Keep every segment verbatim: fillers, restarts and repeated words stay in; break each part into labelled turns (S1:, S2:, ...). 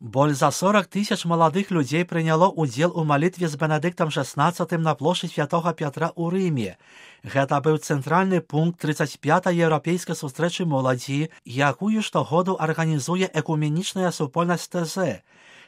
S1: Боль за сорок тысяч молодых людей прыняло ўдзел у малітве з Бенедыктам шестнадцатым на плошчы святога Пятра ў Рыме. Гэта быў цэнтральны пункт тридцать пятай еўрапейскай сустрэчы моладзі, якую штогоду арганізуе экуменічная супольнасць тэ зэ.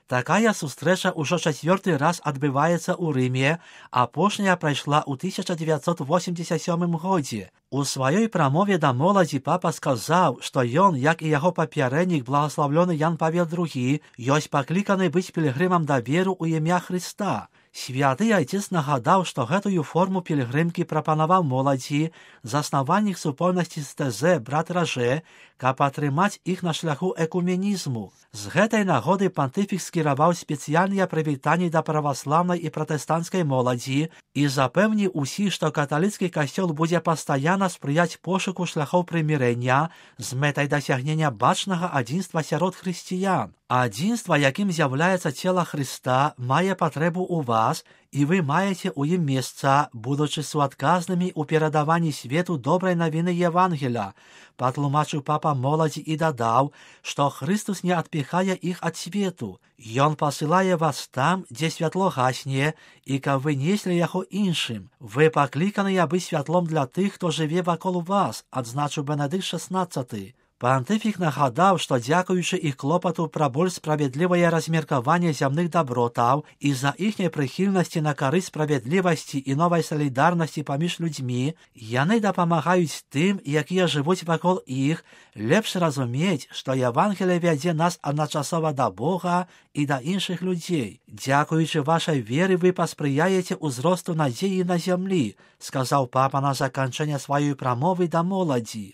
S1: Такая сустрэча ўжо чацвёрты раз адбываецца ў Рыме, апошняя прайшла ў тысяча дзевяцьсот восемьдесят сёмым годзе. У сваёй прамове да моладзі папа сказаў, што ён, як і яго папярэднік благаслаўлёны Ян Павел другі, ёсць пакліканы быць пілігрымам да веру ў імя Хрыста. Святы айцец нагадаў, што гэтую форму пілігрымкі прапанаваў моладзі заснавальнік супольнасці з тэ зэ брат Ражэ, каб атрымаць іх на шляху экуменізму. З гэтай нагоды пантыфік скіраваў спецыяльныя прывітанні да праваслаўнай і пратэстанцкай моладзі і запэўніў усіх, што каталіцкі касцёл будзе пастаянна спрыяць пошуку шляхоў прымірэння з мэтай дасягнення бачнага адзінства сярод хрысціян. Адзінства, якім з'яўляецца цела Хрыста, мае патрэбу ў вас, і вы маеце ў ім месца, будучы суадказнымі ў перадаванні свету добрай навіны Евангеля. Патлумачыў папа моладзі і дадаў, што Хрыстус не адпіхае іх ад свету. Ён пасылае вас там, дзе святло гасне, і каб вы неслі яго іншым. Вы пакліканыя быць святлом для тых, хто жыве вакол вас, адзначыў Бенедыкт шестнадцаты. Пантыфік нагадаў, што дзякуючы іх клопату пра больш справядлівае размеркаванне зямных дабротаў і за іхняй прыхільнасці на карысць справядлівасці і новай салідарнасці паміж людзьмі, яны дапамагаюць тым, якія жывуць вакол іх, лепш разумець, што Евангелие вядзе нас адначасова да Бога і да іншых людзей. Дзякуючы вашай веры вы паспрыяеце ўзросту надзеі на зямлі, сказаў папа на заканчэнне сваёй прамовы да моладзі.